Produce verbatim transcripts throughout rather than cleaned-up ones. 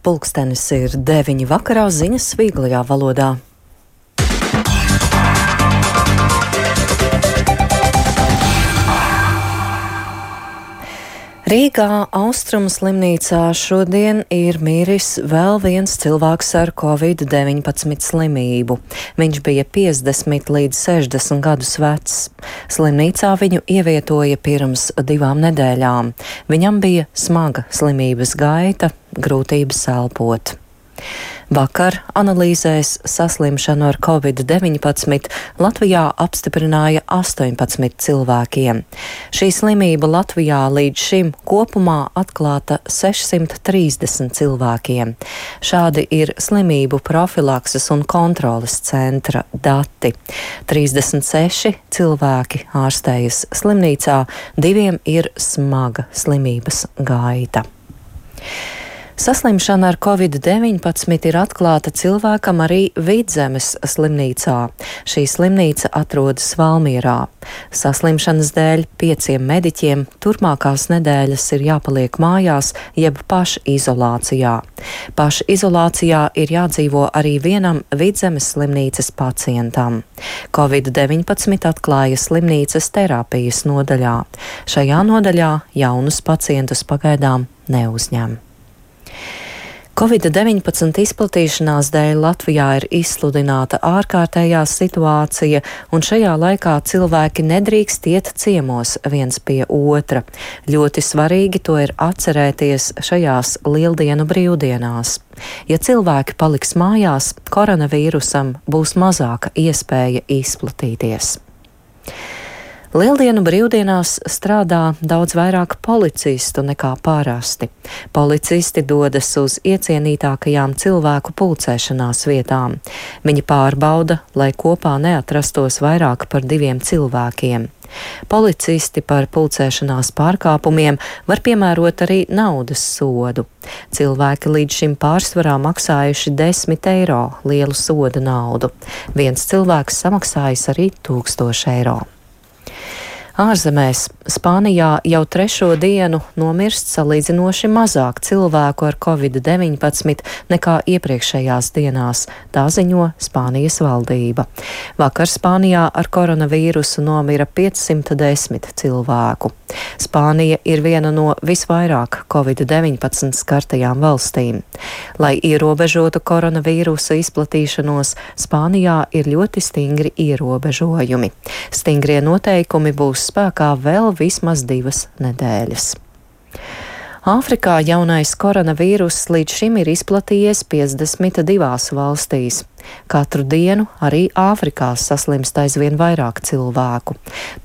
Pulkstenis ir deviņi vakarā, ziņas vieglajā valodā. Rīgā Austrumu slimnīcā šodien ir miris vēl viens cilvēks ar covid deviņpadsmit slimību. Viņš bija piecdesmit līdz sešdesmit gadus vecs. Slimnīcā viņu ievietoja pirms divām nedēļām. Viņam bija smaga slimības gaita, grūtības elpot. Vakar analīzēs saslimšanu ar covid deviņpadsmit Latvijā apstiprināja astoņpadsmit cilvēkiem. Šī slimība Latvijā līdz šim kopumā atklāta sešsimt trīsdesmit cilvēkiem. Šādi ir slimību profilakses un kontroles centra dati. trīsdesmit seši cilvēki ārstējas slimnīcā, diviem ir smaga slimības gaita. Saslimšana ar covid deviņpadsmit ir atklāta cilvēkam arī Vidzemes slimnīcā. Šī slimnīca atrodas Valmierā. Saslimšanas dēļ pieciem mediķiem turpmākās nedēļas ir jāpaliek mājās jeb pašizolācijā. Pašizolācijā ir jādzīvo arī vienam Vidzemes slimnīcas pacientam. covid deviņpadsmit atklāja slimnīcas terapijas nodaļā. Šajā nodaļā jaunus pacientus pagaidām neuzņem. covid deviņpadsmit izplatīšanās dēļ Latvijā ir izsludināta ārkārtējā situācija, un šajā laikā cilvēki nedrīkst iet ciemos viens pie otra. Ļoti svarīgi to ir atcerēties šajās lieldienu brīvdienās. Ja cilvēki paliks mājās, koronavīrusam būs mazāka iespēja izplatīties. Lieldienu brīvdienās strādā daudz vairāk policistu nekā parasti. Policisti dodas uz iecienītākajām cilvēku pulcēšanās vietām. Viņi pārbauda, lai kopā neatrastos vairāk par diviem cilvēkiem. Policisti par pulcēšanās pārkāpumiem var piemērot arī naudas sodu. Cilvēki līdz šim pārsvarā maksājuši desmit eiro lielu soda naudu. Viens cilvēks samaksājis arī tūkstoši eiro. Ārzemēs Spānijā jau trešo dienu nomirst salīdzinoši mazāk cilvēku ar covid deviņpadsmit nekā iepriekšējās dienās, tā ziņo Spānijas valdība. Vakar Spānijā ar koronavīrusu nomira piecsimt desmit cilvēku. Spānija ir viena no visvairāk covid deviņpadsmit skartajām valstīm. Lai ierobežotu koronavīrusa izplatīšanos, Spānijā ir ļoti stingri ierobežojumi. Stingrie noteikumi būs spēkā vēl vismaz divas nedēļas. Āfrikā jaunais koronavīruss līdz šim ir izplatījies piecdesmit divās valstīs. Katru dienu arī Āfrikā saslimst aizvien vairāk cilvēku.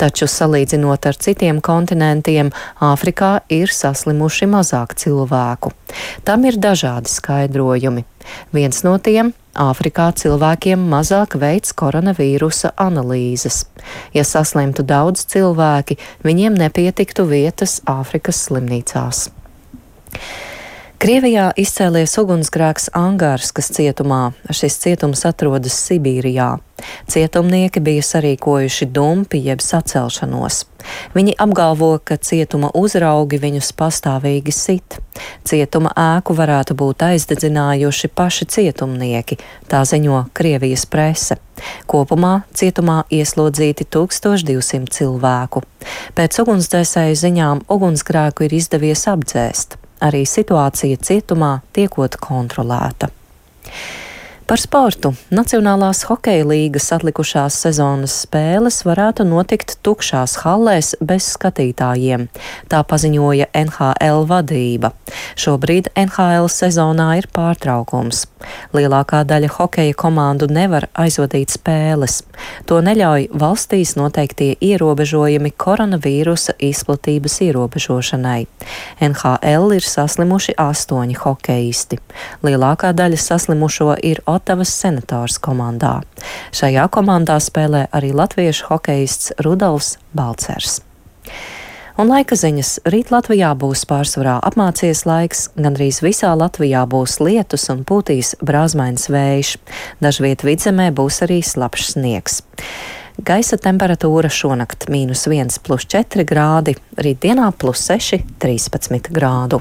Taču, salīdzinot ar citiem kontinentiem, Āfrikā ir saslimuši mazāk cilvēku. Tam ir dažādi skaidrojumi. Viens no tiem - Āfrikā cilvēkiem mazāk veids koronavīrusa analīzes. Ja saslimtu daudz cilvēki, viņiem nepietiktu vietas Āfrikas slimnīcās. Krievijā izcēlies ugunsgrēks Angārskas cietumā. Šis cietums atrodas Sibīrijā. Cietumnieki bija sarīkojuši dumpi jeb sacelšanos. Viņi apgalvo, ka cietuma uzraugi viņus pastāvīgi sit. Cietuma ēku varētu būt aizdedzinājuši paši cietumnieki, tā ziņo Krievijas prese. Kopumā cietumā ieslodzīti tūkstoš divsimt cilvēku. Pēc ugunsdzēsēju ziņām ugunsgrēku ir izdevies apdzēst. Arī situācija cietumā tiekot kontrolēta. Par sportu. Nacionālās hokeja līgas atlikušās sezonas spēles varētu notikt tukšās hallēs bez skatītājiem. Tā paziņoja N H L vadība. Šobrīd N H L sezonā ir pārtraukums. Lielākā daļa hokeja komandu nevar aizvadīt spēles. To neļauj valstīs noteiktie ierobežojumi koronavīrusa izplatības ierobežošanai. N H L ir saslimuši astoņi hokeisti. Lielākā daļa saslimušo ir Otavas Senators komandā. Šajā komandā spēlē arī latviešu hokeists Rudolfs Balcers. Un laika ziņas. Rīt Latvijā būs pārsvarā apmācies laiks, gandrīz visā Latvijā būs lietus un pūtīs brāzmains vējš. Dažviet vidzemē būs arī slapjš sniegs. Gaisa temperatūra šonakt mīnus viens plus četri grādi, rītdienā plus seši, trīspadsmit grādu.